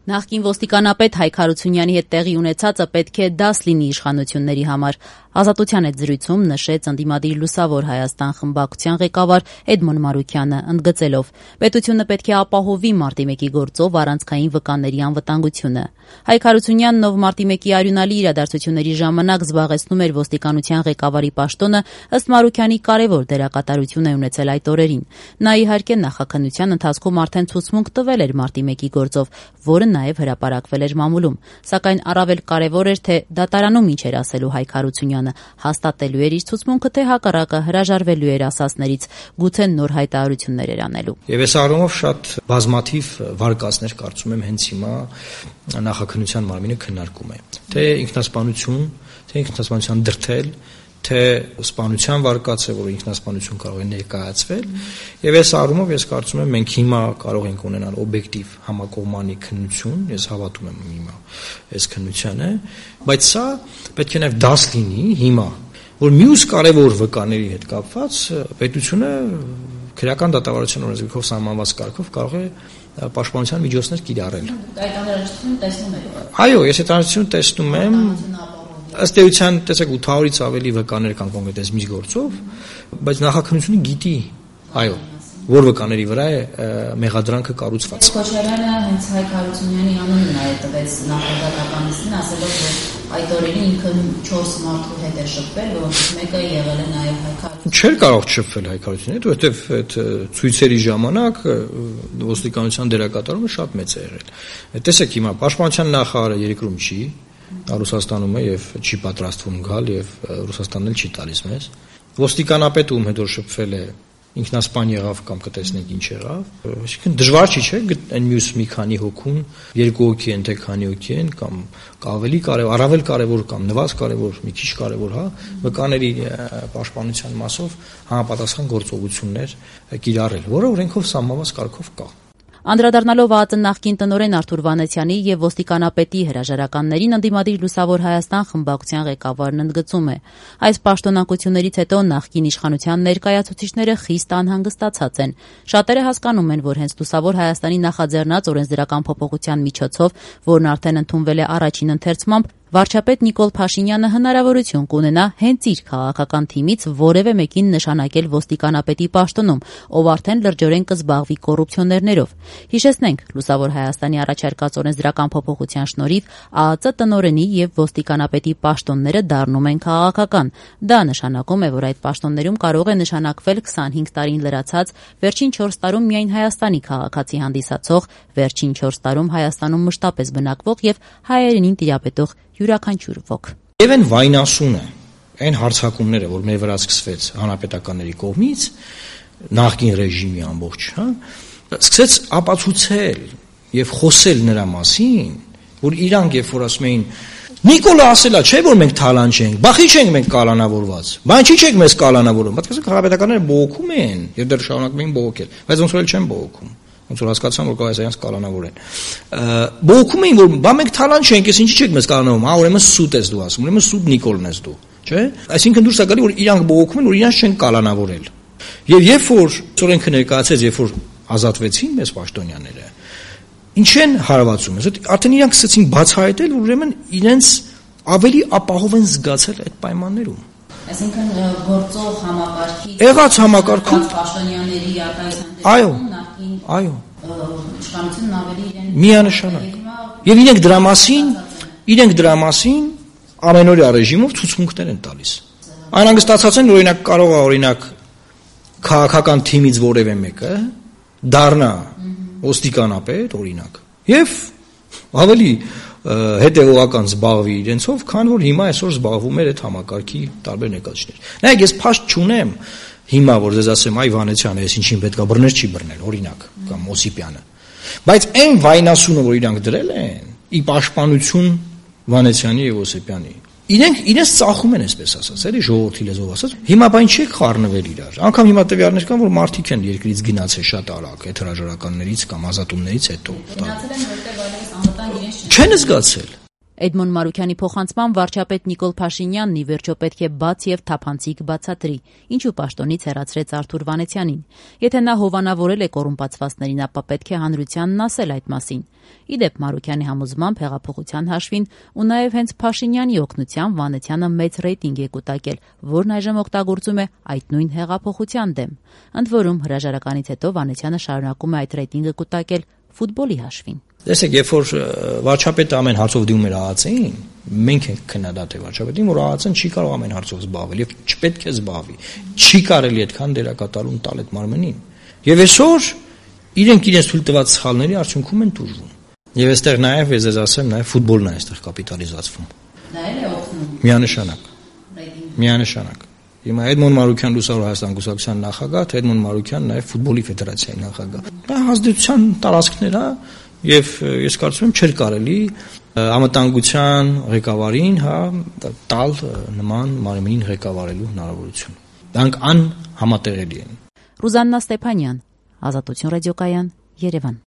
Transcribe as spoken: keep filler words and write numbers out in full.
Նախկին ոստիկանապետ Հայկ Հարությունյանի հետ տեղի ունեցածը պետք է դաս լինի իշխանությունների համար։ Ազատության հետ զրույցում նշեց ընդդիմադիր Լուսավոր Հայաստան խմբակցության ղեկավար Էդմոն Մարուքյանը, ընդգծելով. պետությունը պետք է ապահովի մարտի մեկի գործով առանցքային վկաների անվտանգությունը։ Հայկ Հարությունյանն, ով մարտի մեկի արյունալի իրադարձությունների ժամանակ զբաղեցնում էր ոստիկանության ղեկավարի պաշտոնը, ըստ Մարուքյանի կարևոր դերակատարություն է ունեցել այդ օրերին։ Նա իհարկե նախաքննության ընթացքում արդեն ցուցմունք տվել էր մարտի մեկի գործով, որը նաև հրապարակվել էր մամուլում, սակայն առավել կարևոր էր, թե դատարանում ինչ էր ասելու Հայկ Հարությունյանը, հաստատելու էր իր ցուցմունքը, թե հակառակը հրաժարվելու էր ասածներից, գուցե նոր հայտարարություններ էր անելու։ Եվ այս առումով շատ բազմաթիվ վարկածներ կարծում եմ հենց հիմա նախաքննության մարմինը քննարկում է, թե ինքնասպանություն, թե ինքնասպանության դրդել, թե սպանության վարկած է, որ ինքնասպանություն կարող է ներկայացվել, եւ այս առումով ես կարծում եմ մենք հիմա կարող ենք ունենալ օբյեկտիվ համակողմանի քննություն, ես հավատում եմ հիմա այս քննությանը, բայց սա պետք է նաեւ դաս լինի հիմա, որ մյուս կարևոր վկաների հետ կապված պետությունը քրեական դատավարության օրենսգրքով սահմանված կարգով կարող է պաշտպանության միջոցներ կիրառել։ Այդ անհրաժեշտությունը տեսնում եք։ Այո, ես այդ անհրաժեշտությունը տեսնում եմ։ Ըստ էության, տեսեք, ութ հարյուրից ավելի վկաներ կան կոնկրետ այս մի գործով, բայց նախաքննությունը գիտի, այո, որ վկաների վրա է մեղադրանքը կառուցված։ Քոչարյանը հենց Հայկ Հարությունյանի անունն է տվեց նախագահականին, ասելով, որ այդ օրերին ինքը չորս մարդու հետ է շփվել, որոնցից մեկը եղել է նաև Հայկ Հարությունյանը։ Չէր կարող շփվել Հայկ Հարությունյանի հետ, որովհետև այդ ցույցերի ժամանակ ոստիկանության դերակատարումը շատ մեծ է եղել։ Տեսեք, հիմա պաշտպանության նախարարը երկրում չի, Ռուսաստանում է եւ չի պատրաստվում գալ եւ Ռուսաստանն էլ չի տալիս մեզ։ Ոստիկանապետը ում հետ որ շփվել է ինքնասպան եղավ կամ կտեսնենք ինչ եղավ, այսինքն դժվար չի, չէ՞, այն մյուս մի քանի հոգուն, երկու հոգի են, թե քանի հոգի են կամ ավելի կարևոր, առավել կարևոր կամ նվազ կարևոր, մի քիչ կարևոր, հա, վկաների պաշտպանության մասով համապատասխան գործողություններ կիրառել, որը օրենքով սահմանված կարգով կա։ Անդրադառնալով ԱԱԾ նախկին տնօրեն Արթուր Վանեցյանի եւ ոստիկանապետի հրաժարականներին, ընդդիմադիր Լուսավոր Հայաստան խմբակցության ղեկավարն ընդգծում է. այս պաշտոնակություններից հետո նախկին իշխանության ներկայացուցիչները խիստ անհանգստացած են։ Շատերը հասկանում են, որ հենց Լուսավոր Հայաստանի նախաձեռնած օրենսդրական փոփոխության միջոցով, որն արդեն ընդունվել է առաջին ընթերցմամբ, վարչապետ Նիկոլ Փաշինյանը հնարավորություն կունենա հենց իր քաղաքական թիմից որևէ մեկին նշանակել ոստիկանապետի պաշտոնում, ով արդեն լրջորեն կզբաղվի կոռուպցիոներներով։ Հիշեցնենք, Լուսավոր Հայաստանի առաջարկած օրենսդրական փոփոխության շնորհիվ ԱԱԾ տնօրենի եւ ոստիկանապետի պաշտոնները դառնում են քաղաքական։ Դա նշանակում է, որ այդ պաշտոններում կարող է նշանակվել քսանհինգ տարին լրացած, վերջին չորս տարում միայն Հայաստանի քաղաքացի հանդիսացող, վերջին չորս տարում Հայաստանում մշտապես բնակվող եւ հայերենին տիրապետող յուրաքանչյուր ոք։ Եվ այն վայնասունը, այն հարձակումները, որ մեր վրա սկսվեց հանրապետականների կողմից, նախկին ռեժիմի ամբողջ, հա, սկսեց ապացուցել եւ խոսել նրա մասին, որ իրանք երբ որ ասում էին Նիկոլը ասելա, չէ՞ որ մենք թալան չենք, բախի չենք մենք կալանավորված, բան չի չենք մեզ կալանավորում, պատկերացրեք հանրապետականները բողոքում են եւ դեռ շարունակում են բողոքել, բայց ոնց որ էլ չեն բողոքում։ Ոնց որ հասկացան, որ կարող է սրանց կալանավորեն։ Բողոքում էին, որ բա մենք թալան չենք, ես ինչի՞ չեք մեզ կալանավորում, հա, ուրեմն սուտ ես դու ասում, ուրեմն սուտ Նիկոլն ես դու, չէ՞։ Այսինքն դուրս է գալի, որ իրանք բողոքում են, որ իրանք չեն կալանավորել։ Եվ երբ որ օրենքը ներկայացեց, երբ որ ազատվեցին մեզ պաշտոնյաները, ինչ են հարվածում, արդեն իրանք սկսեցին բացահայտել, որ ուրեմն իրենց ավելի ապահով են զգացել այդ պայմաններում։ Այսինքն գործող համակարգի եղած համակարգում պաշտոնյաների այո, այո, իշխանությունն ավելի իրեն միանշանակ։ Եվ իրենք դրա մասին, իրենք դրա մասին ամենօրյա ռեժիմով ցուցմունքներ են տալիս։ Այն հանգստացած են, որ օրինակ կարող է օրինակ քաղաքական թիմից որևէ մեկը դառնա ոստիկանապետ, օրինակ, եւ ավելի հետեւողական զբաղվի իրենցով, քան որ հիմա այսօր զբաղվում էր այդ համակարգի տարբեր ներկայացուցիչներ։ Նայեք, ես փաստ չունեմ հիմա որ ձեզ ասեմ, այ Վանեցյանը, ես ինչին պետքա բռներ չի բռնել, օրինակ, կամ Օսիպյանը։ Բայց այն վայնասունը, որ իրանք դրել են, ի պաշտպանություն Վանեցյանի եւ Օսիպյանի, իրենք իրենց ծախում են, այսպես ասած, էլի ժողովրդի լեզվով ասած։ Հիմա բան չի խառնվել իրար։ Անկամ հիմա տվյալներ կան, որ մարդիկ են երկրից գնացել շատ արագ, այդ հրաժարականներից կամ ազատումներից հետո։ Գնացել են, որտեղ այլևս անվտանգ իրենց չեն զգացել։ Էդմոն Մարուքյանի փոխանցմամբ վարչապետ Նիկոլ Փաշինյանն ի վերջո պետք է բաց եւ թափանցիկ բացատրի, ինչու պաշտոնից հեռացրեց Արթուր Վանեցյանին։ Եթե նա հովանավորել է կոռումպացվածներին, ապա պետք է հանրությանն ասել այդ մասին։ Ի դեպ, Մարուքյանի համոզմամբ հեղափոխության հաշվին ու նաեւ հենց Փաշինյանի օգնությամբ Վանեցյանը մեծ ռեյտինգ է կուտակել, որն այժմ օգտագործում է այդ նույն հեղափոխության դեմ։ Ընդ որում, հրաժարականից հետո Վանեցյանը շարունակում է այդ ռեյտինգը կուտակել ֆուտբոլի հաշվին։ Տեսեք, երբ որ վարչապետը ամեն հարցով դիմում էր ԱԱՑ-ին, մենք ենք քննադատել վարչապետին, որ ԱԱՑ-ն չի կարող ամեն հարցով զբաղվել եւ չպետք է զբաղվի։ Չի կարելի այդքան դերակատարում տալ այդ մարմնին։ Եվ այսօր իրենք իրենց թույլ տված սխալների արդյունքում են տուժվում։ Եվ այստեղ նաեւ ես ձեզ ասեմ, նաեւ ֆուտբոլն է այստեղ կապիտալիզացվում։ Դա էլ է օգնում։ Միանշանակ։ Միանշանակ։ Հիմա Էդմոն Մարուքյան Լուսավոր Հայաստան կուսակցության նախագահ, Էդմոն Մարուքյան նաեւ ֆուտբոլի ֆեդերացիայի նախագահ։ Դա հազդեցության տարածքներ է եւ ես կարծում եմ չէր կարելի անվտանգության ղեկավարին, հա, տալ նման մարմնին ղեկավարելու հնարավորություն։ Դրանք անհամատեղելի են։ Ռուզաննա Ստեփանյան, Ազատություն ռադիոկայան, Երևան։